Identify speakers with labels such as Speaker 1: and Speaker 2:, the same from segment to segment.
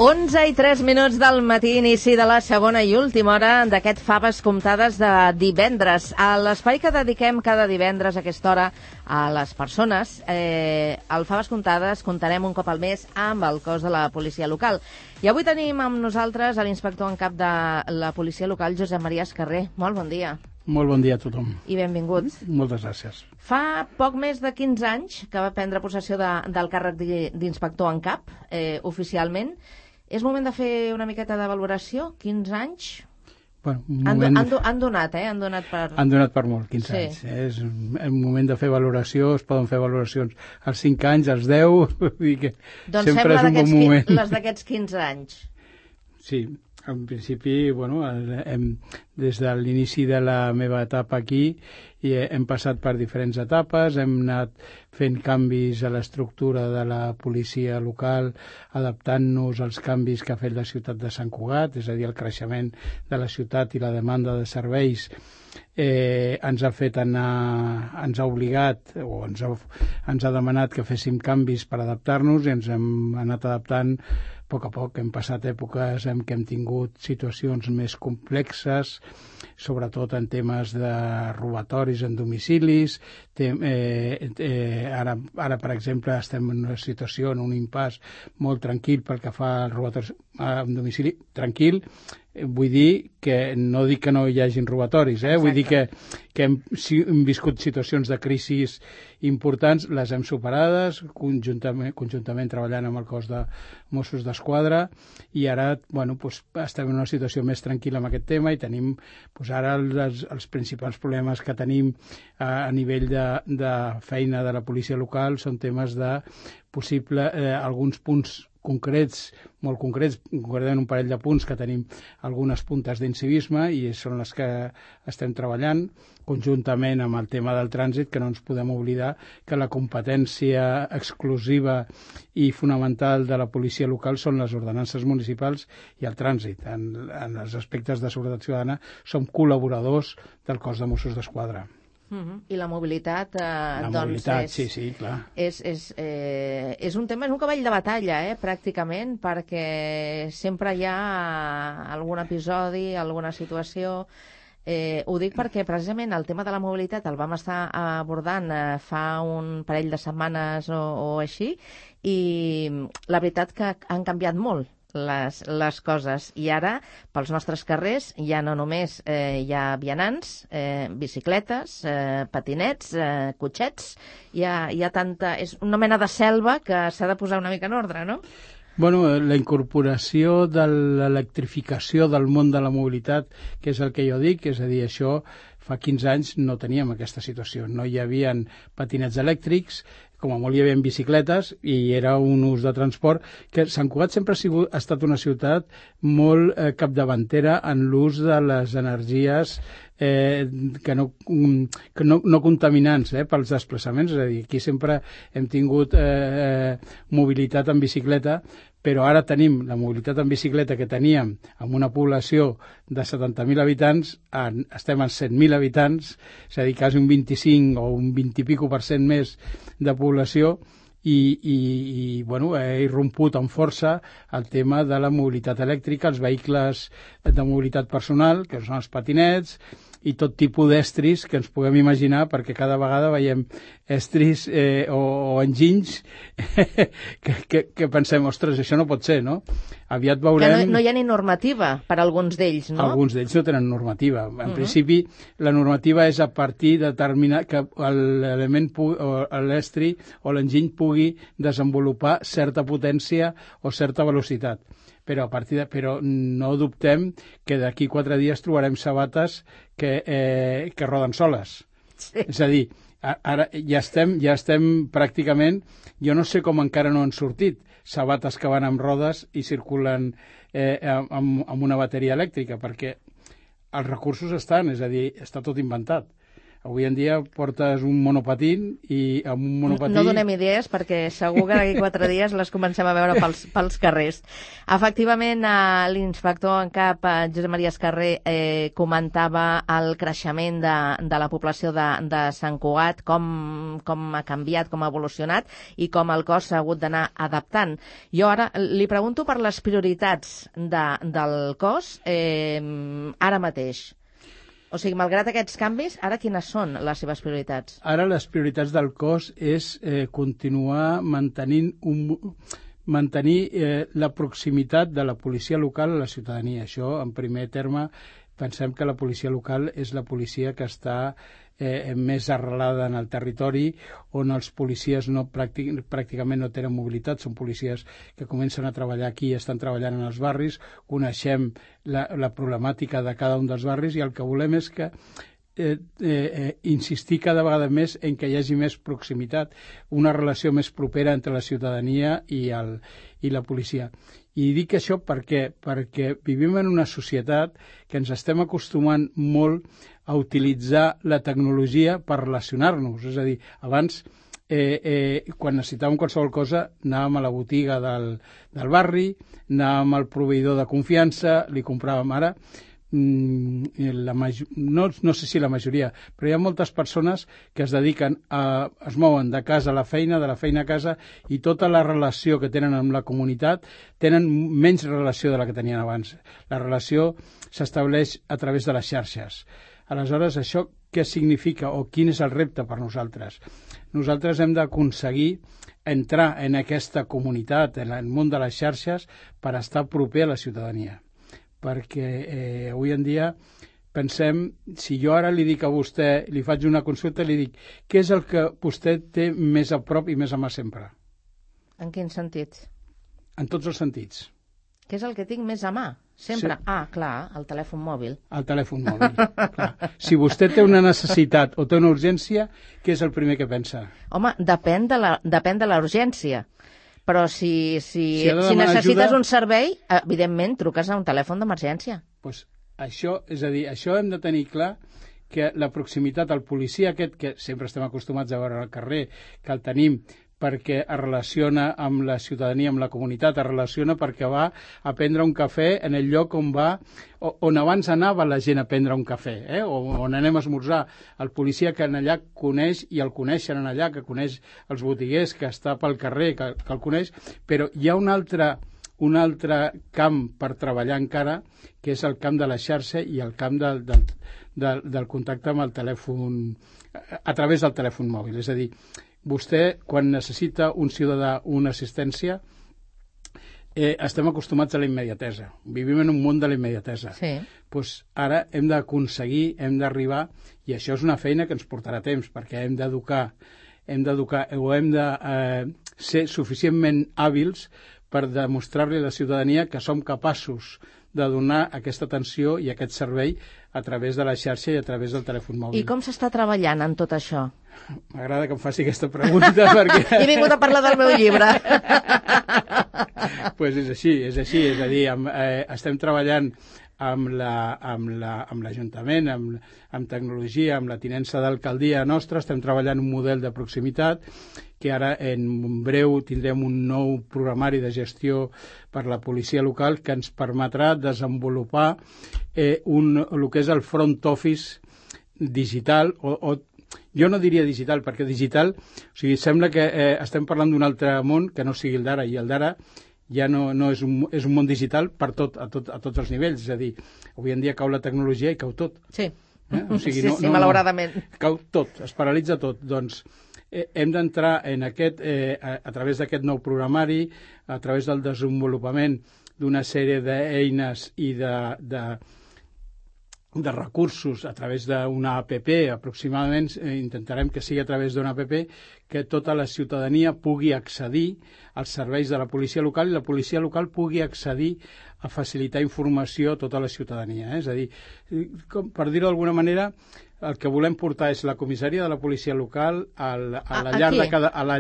Speaker 1: 11:03 del matí, inici de la segona i última hora d'aquest Faves Comptades de divendres. A l'espai que dediquem cada divendres a aquesta hora a les persones, al Faves Comptades comptarem un cop al mes amb el cos de la policia local. I avui tenim amb nosaltres l'inspector en cap de la policia local, Josep Maria Escarrer. Molt bon dia.
Speaker 2: Molt bon dia a tothom.
Speaker 1: I benvingut.
Speaker 2: Moltes gràcies.
Speaker 1: Fa poc més de 15 anys que va prendre possessió del càrrec d'inspector en cap, oficialment. És moment de fer una miqueta de valoració? 15 anys?
Speaker 2: Bueno,
Speaker 1: han donat, Han donat per...
Speaker 2: Han donat per molt, 15 anys. És un moment de fer valoració, es poden fer valoracions als 5 anys, als 10, vull dir que
Speaker 1: doncs
Speaker 2: sempre és un bon moment.
Speaker 1: Doncs les d'aquests 15 anys.
Speaker 2: Sí, en principi, bueno, des de l'inici de la meva etapa aquí hem passat per diferents etapes, hem anat fent canvis a l'estructura de la policia local, adaptant-nos als canvis que ha fet la ciutat de Sant Cugat, és a dir, el creixement de la ciutat i la demanda de serveis ens ha obligat o ens ha demanat que féssim canvis per adaptar-nos i ens hem anat adaptant a poc a poc. Hem passat èpoques en què hem tingut situacions més complexes, sobretot en temes de robatoris en domicilis. Ara, per exemple, estem en una situació, en un impàs molt tranquil pel que fa als robatoris en domicili. Tranquil, vull dir que no dic que no hi hagin robatoris, vull dir que hem viscut situacions de crisis importants, les hem superades, conjuntament treballant amb el cos de Mossos d'Esquadra, i ara estem en una situació més tranquil·la amb aquest tema i tenim ara els principals problemes que tenim a nivell de feina de la policia local són temes de possible alguns punts concrets, molt concrets, concretament un parell de punts que tenim algunes puntes d'incivisme i són les que estem treballant conjuntament amb el tema del trànsit, que no ens podem oblidar que la competència exclusiva i fonamental de la policia local són les ordenances municipals i el trànsit. En els aspectes de seguretat ciutadana som col·laboradors del cos de Mossos d'Esquadra.
Speaker 1: I la mobilitat,
Speaker 2: sí, clar.
Speaker 1: És un tema, és un cavall de batalla, pràcticament, perquè sempre hi ha algun episodi, alguna situació. Ho dic perquè precisament el tema de la mobilitat el vam estar abordant fa un parell de setmanes o així, i la veritat que han canviat molt les coses, i ara pels nostres carrers ja no només hi ha vianants, bicicletes, patinets, cotxets, hi ha tanta... és una mena de selva que s'ha de posar una mica en ordre, no?
Speaker 2: Bueno, la incorporació de l'electrificació del món de la mobilitat, que és el que jo dic, és a dir, això fa 15 anys no teníem aquesta situació, no hi havia patinets elèctrics, com a molt hi havia bicicletes i era un ús de transport que Sant Cugat sempre ha estat una ciutat molt capdavantera en l'ús de les energies que no contaminants pels desplaçaments, és a dir, aquí sempre hem tingut mobilitat en bicicleta, però ara tenim la mobilitat en bicicleta que teníem amb una població de 70.000 habitants, estem en 100.000 habitants, és a dir, quasi un 25 o un 20 i pico % més de població, i he irromput amb força el tema de la mobilitat elèctrica, els vehicles de mobilitat personal, que són els patinets, i tot tipus d'estris que ens puguem imaginar, perquè cada vegada veiem estris o enginys que pensem, ostres, això no pot ser, no? Aviat veurem...
Speaker 1: Que no hi ha ni normativa per a alguns d'ells, no?
Speaker 2: Alguns d'ells no tenen normativa. En principi, la normativa és a partir de determinar que l'element, l'estri o l'enginy pugui desenvolupar certa potència o certa velocitat. Però no dubtem que d'aquí 4 dies trobarem sabates que roden soles. Sí. És a dir, ara ja estem pràcticament, jo no sé com encara no han sortit, sabates que van amb rodes i circulen amb una bateria elèctrica, perquè els recursos estan, és a dir, està tot inventat. Avui en dia portes un monopatín i amb un monopatí...
Speaker 1: No donem idees perquè segur que d'aquí 4 dies les comencem a veure pels carrers. Efectivament, l'inspector en cap, Josep Maria Escarrer, comentava el creixement de la població de Sant Cugat, com ha canviat, com ha evolucionat i com el cos s'ha hagut d'anar adaptant. Jo ara li pregunto per les prioritats del cos ara mateix. O sigui, malgrat aquests canvis, ara quines són les seves prioritats?
Speaker 2: Ara les prioritats del cos és continuar mantenir la proximitat de la policia local a la ciutadania. Això, en primer terme, pensem que la policia local és la policia que està més arrelada en el territori, on els policies pràcticament no tenen mobilitat, són policies que comencen a treballar aquí i estan treballant en els barris, coneixem la problemàtica de cada un dels barris i el que volem és que insistir cada vegada més en que hi hagi més proximitat, una relació més propera entre la ciutadania i la policia. I dic això perquè vivim en una societat que ens estem acostumant molt a utilitzar la tecnologia per relacionar-nos. És a dir, abans, quan necessitàvem qualsevol cosa, anàvem a la botiga del barri, anàvem al proveïdor de confiança, li compràvem. Ara, no sé si la majoria, però hi ha moltes persones que es dediquen es mouen de casa a la feina, de la feina a casa, i tota la relació que tenen amb la comunitat tenen menys relació de la que tenien abans. La relació s'estableix a través de les xarxes. Aleshores, això què significa o quin és el repte per nosaltres? Nosaltres hem d'aconseguir entrar en aquesta comunitat, en el món de les xarxes, per estar proper a la ciutadania. Perquè avui en dia pensem, si jo ara li dic a vostè, li faig una consulta, li dic, què és el que vostè té més a prop i més a mà sempre?
Speaker 1: En quin sentit?
Speaker 2: En tots els sentits.
Speaker 1: Què és el que tinc més a mà? Sempre?
Speaker 2: Sí.
Speaker 1: Clar, el telèfon mòbil.
Speaker 2: El telèfon mòbil, clar. Si vostè té una necessitat o té una urgència, què és el primer que pensa?
Speaker 1: Home, depèn de la urgència. Però si necessites un servei, evidentment truques a un telèfon d'emergència.
Speaker 2: Pues això, és a dir, això hem de tenir clar, que la proximitat al policia aquest, que sempre estem acostumats a veure al carrer, que el tenim perquè es relaciona amb la ciutadania, amb la comunitat, es relaciona perquè va a prendre un cafè en el lloc on abans anava la gent a prendre un cafè, o on anem a esmorzar. El policia que allà coneix, i el coneixen allà, que coneix els botiguers, que està pel carrer, que el coneix, però hi ha un altre camp per treballar encara, que és el camp de la xarxa i el camp del contacte amb el telèfon, a través del telèfon mòbil. És a dir, vostè, quan necessita un ciutadà una assistència, estem acostumats a la immediatesa. Vivim en un món de la immediatesa.
Speaker 1: Sí.
Speaker 2: Pues ara hem d'aconseguir, hem d'arribar, i això és una feina que ens portarà temps, perquè hem d'educar o hem de ser suficientment hàbils per demostrar-li a la ciutadania que som capaços de donar aquesta atenció i aquest servei a través de la xarxa i a través del telèfon mòbil.
Speaker 1: I com s'està treballant en tot això?
Speaker 2: M'agrada que em faci aquesta pregunta perquè...
Speaker 1: He vingut a parlar del meu llibre.
Speaker 2: Pues és així, és a dir, estem treballant amb l'Ajuntament, amb tecnologia, amb la tinença d'alcaldia nostra, estem treballant un model de proximitat que ara en breu tindrem un nou programari de gestió per la policia local que ens permetrà desenvolupar el que és el front office digital, o jo no diria digital, perquè digital, o sigui, sembla que estem parlant d'un altre món que no sigui el d'ara, i el d'ara ja no és un món digital per a tots els nivells, és a dir, avui en dia cau la tecnologia i cau tot.
Speaker 1: Sí,
Speaker 2: o sigui,
Speaker 1: sí, malauradament.
Speaker 2: Cau tot, es paralitza tot. Doncs hem d'entrar en a través d'aquest nou programari, a través del desenvolupament d'una sèrie d'eines i de recursos a través d'una APP, aproximadament intentarem que sigui a través d'una APP, que tota la ciutadania pugui accedir als serveis de la policia local i la policia local pugui accedir a facilitar informació a tota la ciutadania. És a dir, per dir-ho d'alguna manera, el que volem portar és la comissaria de la policia local a la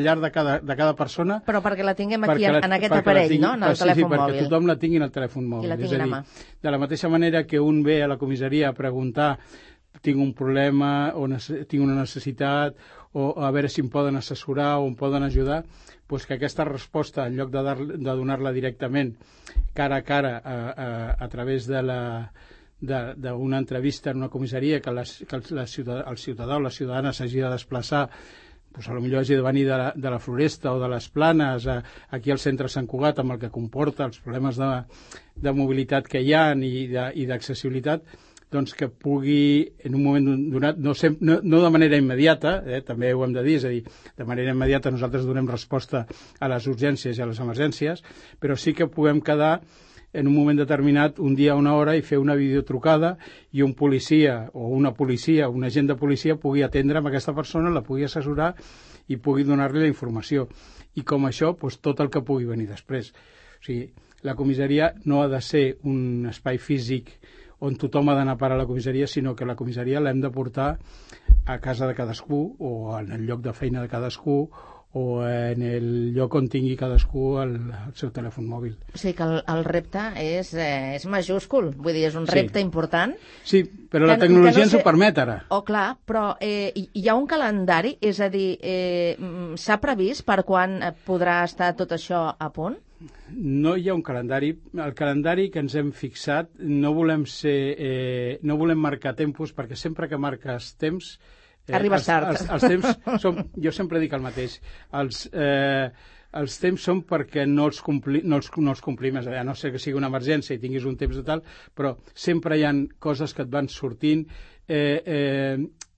Speaker 2: llar de cada persona.
Speaker 1: Però perquè la tinguem aquí, en aquest aparell, no? En el telèfon mòbil.
Speaker 2: Perquè tothom la tingui en el telèfon mòbil.
Speaker 1: I la tinguin a mà.
Speaker 2: De la mateixa manera que un ve a la comissaria a preguntar tinc un problema o tinc una necessitat o a veure si em poden assessorar o em poden ajudar, doncs que aquesta resposta, en lloc de donar-la directament cara a cara a través d'una entrevista en una comissaria que el ciutadà o la ciutadana s'hagi de desplaçar, doncs potser hagi de venir de la Floresta o de les Planes aquí al centre de Sant Cugat, amb el que comporta els problemes de mobilitat que hi ha i d'accessibilitat, doncs que pugui en un moment donat, no de manera immediata, també ho hem de dir, és a dir, de manera immediata nosaltres donem resposta a les urgències i a les emergències, però sí que puguem quedar en un moment determinat, un dia o una hora, i fer una videotrucada i un policia o una policia, un agent de policia pugui atendre amb aquesta persona, la pugui assessorar i pugui donar-li la informació. I com això, doncs, tot el que pugui venir després. O sigui, la comissaria no ha de ser un espai físic on tothom ha d'anar a parar a la comissaria, sinó que la comissaria l'hem de portar a casa de cadascú o en el lloc de feina de cadascú o en el lloc on tingui cadascú el seu telèfon mòbil.
Speaker 1: O sigui que el repte és majúscul, vull dir, és un repte important.
Speaker 2: Sí, però la tecnologia ens ho permet ara.
Speaker 1: Oh, clar, però hi ha un calendari, és a dir, s'ha previst per quan podrà estar tot això a punt?
Speaker 2: No hi ha un calendari. El calendari que ens hem fixat no volem marcar tempos, perquè sempre que marques temps
Speaker 1: arribes tard.
Speaker 2: Els temps jo sempre dic el mateix. Els temps són perquè no els complim, a no ser que sigui una emergència i tinguis un temps de tal, però sempre hi ha coses que et van sortint,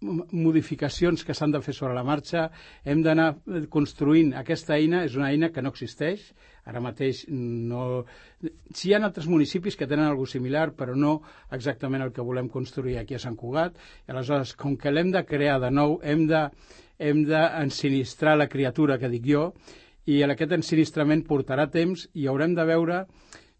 Speaker 2: modificacions que s'han de fer sobre la marxa. Hem d'anar construint aquesta eina. És una eina que no existeix ara mateix. Sí, hi ha altres municipis que tenen alguna cosa similar, però no exactament el que volem construir aquí a Sant Cugat. I aleshores, com que l'hem de crear de nou, hem d'ensinistrar la criatura, que dic jo, i aquest ensinistrament portarà temps i haurem de veure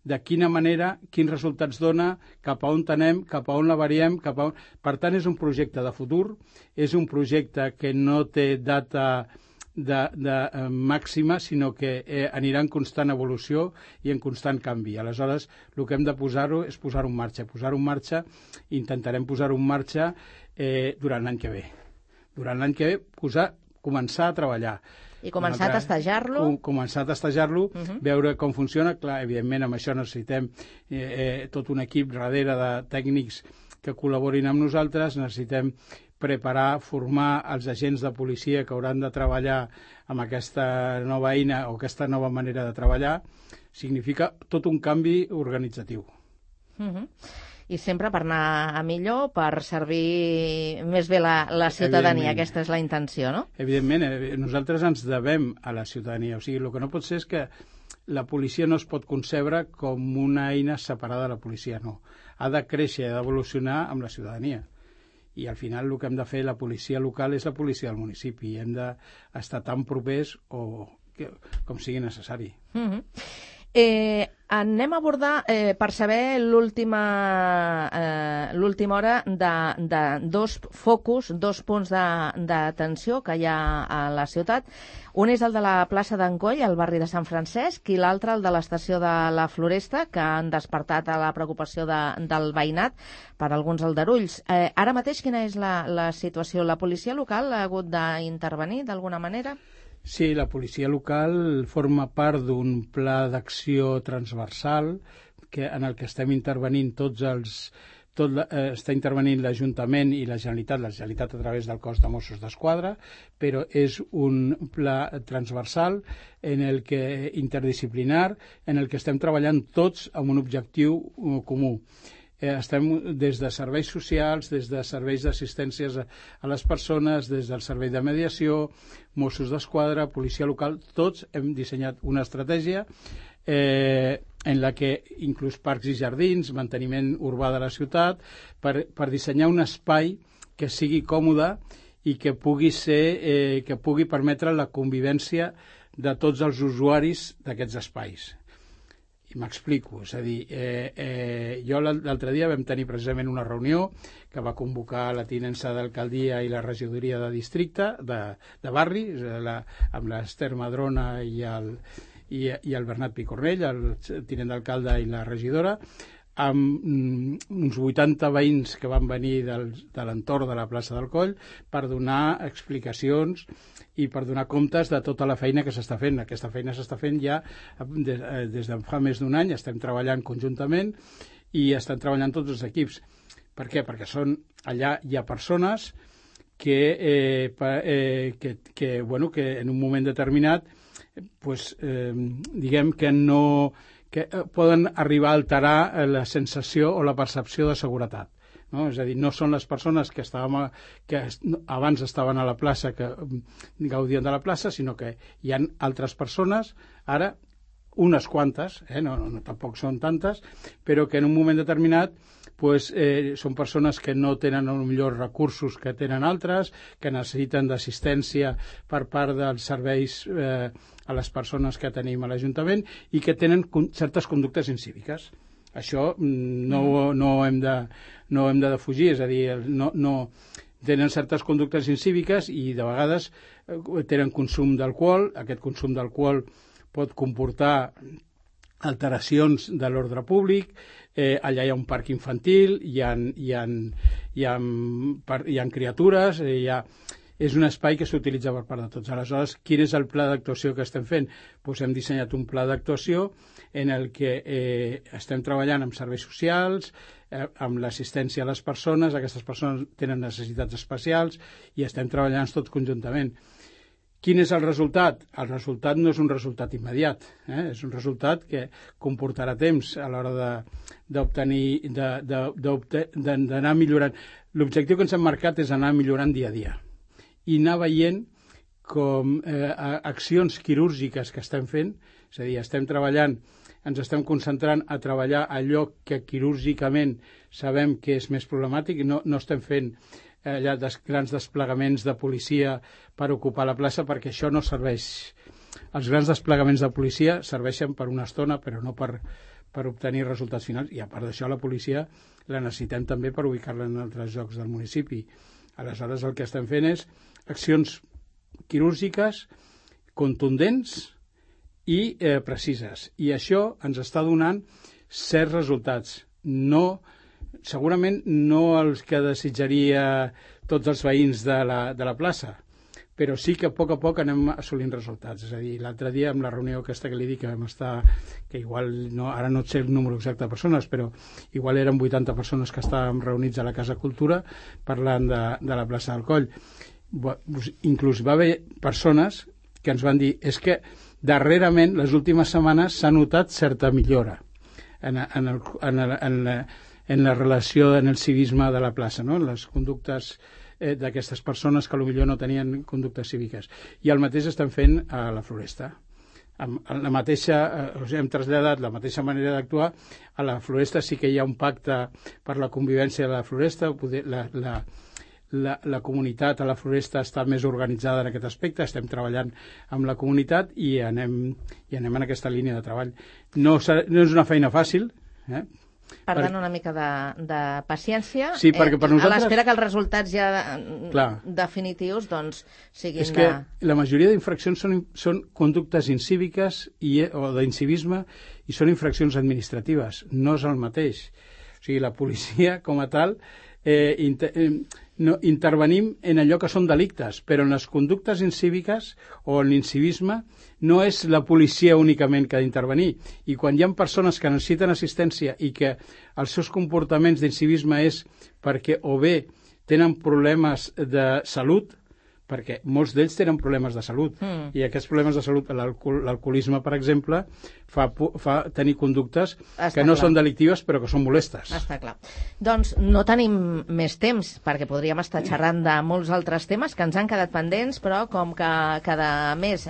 Speaker 2: de quina manera, quins resultats dona, cap a on anem, cap a on la variem, Per tant, és un projecte de futur, és un projecte que no té data de màxima, sinó que anirà en constant evolució i en constant canvi. Aleshores, el que hem de posar-ho és posar-ho en marxa. Intentarem posar-ho en marxa durant l'any que ve. Durant l'any que ve, començar a treballar.
Speaker 1: I començar a testejar-lo.
Speaker 2: Veure com funciona. Clar, evidentment, amb això necessitem tot un equip darrere de tècnics que col·laborin amb nosaltres. Necessitem preparar, formar els agents de policia que hauran de treballar amb aquesta nova eina o aquesta nova manera de treballar. Significa tot un canvi organitzatiu.
Speaker 1: I sempre per anar a millor, per servir més bé la ciutadania. Aquesta és la intenció, no?
Speaker 2: Evidentment, nosaltres ens devem a la ciutadania. O sigui, el que no pot ser és que la policia no es pot concebre com una eina separada de la policia, no. Ha de créixer, ha d'evolucionar amb la ciutadania. I al final el que hem de fer, la policia local és la policia del municipi. Hem d'estar tan propers com sigui necessari.
Speaker 1: Anem a abordar, per saber, l'última hora de dos focus, dos punts d'atenció que hi ha a la ciutat. Un és el de la plaça d'Encoll, al barri de Sant Francesc, i l'altre el de l'estació de la Floresta, que han despertat a la preocupació del veïnat per alguns aldarulls. Ara mateix, quina és la situació? La policia local ha hagut d'intervenir d'alguna manera?
Speaker 2: Sí, la policia local forma part d'un pla d'acció transversal en el que estem intervenint està intervenint l'Ajuntament i la Generalitat a través del cos de Mossos d'Esquadra, però és un pla transversal interdisciplinar en el que estem treballant tots amb un objectiu comú. Estem des de serveis socials, des de serveis d'assistències a les persones, des del servei de mediació, Mossos d'Esquadra, policia local, tots hem dissenyat una estratègia en la que inclús parcs i jardins, manteniment urbà de la ciutat, per dissenyar un espai que sigui còmode i que pugui permetre la convivència de tots els usuaris d'aquests espais. I m'explico, és a dir, jo l'altre dia vam tenir precisament una reunió que va convocar la tinença d'alcaldia i la regidoria de districte, de barri, amb l'Ester Madrona i el Bernat Picornell, el tinent d'alcalde i la regidora, amb uns 80 veïns que van venir de l'entorn de la plaça del Coll per donar explicacions i per donar comptes de tota la feina que s'està fent. Aquesta feina s'està fent ja des de fa més d'un any, estem treballant conjuntament i estan treballant tots els equips. Per què? Perquè allà hi ha persones que en un moment determinat diguem que poden arribar a alterar la sensació o la percepció de seguretat. No? És a dir, no són les persones que abans estaven a la plaça, que gaudien de la plaça, sinó que hi ha altres persones, ara unes quantes, tampoc són tantes, però que en un moment determinat són persones que no tenen els millors recursos que tenen altres, que necessiten d'assistència per part dels serveis a les persones que tenim a l'Ajuntament i que tenen certes conductes incíviques. Això no hem de defugir, és a dir, tenen certes conductes incíviques i de vegades tenen consum d'alcohol. Aquest consum d'alcohol pot comportar alteracions de l'ordre públic. Allà hi ha un parc infantil, hi ha criatures, és un espai que s'utilitza per part de tots. Aleshores, quin és el pla d'actuació que estem fent? Hem dissenyat un pla d'actuació en el que estem treballant amb serveis socials, amb l'assistència a les persones. Aquestes persones tenen necessitats especials i estem treballant tots conjuntament. Quin és el resultat? El resultat no és un resultat immediat, és un resultat que comportarà temps a l'hora d'anar millorant. L'objectiu que ens hem marcat és anar millorant dia a dia i anar veient com accions quirúrgiques que estem fent, és a dir, estem treballant, ens estem concentrant a treballar allò que quirúrgicament sabem que és més problemàtic, no estem fent allà grans desplegaments de policia per ocupar la plaça, perquè això no serveix. Els grans desplegaments de policia serveixen per una estona, però no per obtenir resultats finals, i a part d'això la policia la necessitem també per ubicar-la en altres llocs del municipi. Aleshores el que estem fent és accions quirúrgiques contundents i precises, i això ens està donant certs resultats. Segurament no els que desitjaria tots els veïns de la plaça, però sí que a poc anem assolint resultats. És a dir, l'altre dia, amb la reunió aquesta que li dic que vam estar, que igual, ara no sé el número exacte de persones, però igual eren 80 persones que estàvem reunits a la Casa Cultura parlant de la plaça del Coll. Inclús va haver persones que ens van dir és que darrerament, les últimes setmanes, s'ha notat certa millora en la relació, en el civisme de la plaça, en les conductes d'aquestes persones que potser no tenien conductes cíviques. I el mateix estem fent a la Floresta. Hem traslladat la mateixa manera d'actuar. A la Floresta sí que hi ha un pacte per la convivència de la Floresta. La comunitat a la Floresta està més organitzada en aquest aspecte. Estem treballant amb la comunitat i anem en aquesta línia de treball. No és una feina fàcil,
Speaker 1: Per tant, una mica de paciència,
Speaker 2: sí, perquè per nosaltres,
Speaker 1: a l'espera que els resultats ja definitius siguin...
Speaker 2: És que la majoria d'infraccions són conductes incíviques o d'incivisme i són infraccions administratives, no és el mateix. O sigui, la policia com a tal intervenim en allò que són delictes, però en les conductes incíviques o en l'incivisme no és la policia únicament que ha d'intervenir. I quan hi ha persones que necessiten assistència i que els seus comportaments d'incivisme és perquè o bé tenen problemes de salut, perquè molts d'ells tenen problemes de salut, i aquests problemes de salut, l'alcoholisme, per exemple, fa tenir conductes que no són delictives però que són molestes.
Speaker 1: Està clar. Doncs no tenim més temps, perquè podríem estar xerrant de molts altres temes que ens han quedat pendents, però com que cada mes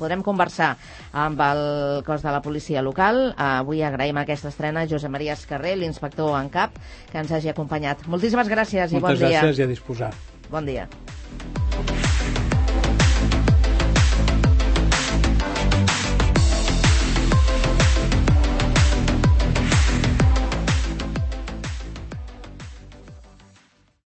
Speaker 1: podrem conversar amb el cos de la policia local, avui agraïm aquesta estrena a Josep Maria Escarré, l'inspector en cap, que ens hagi acompanyat. Moltíssimes gràcies i bon dia.
Speaker 2: Moltes gràcies i a disposar.
Speaker 1: Bon dia.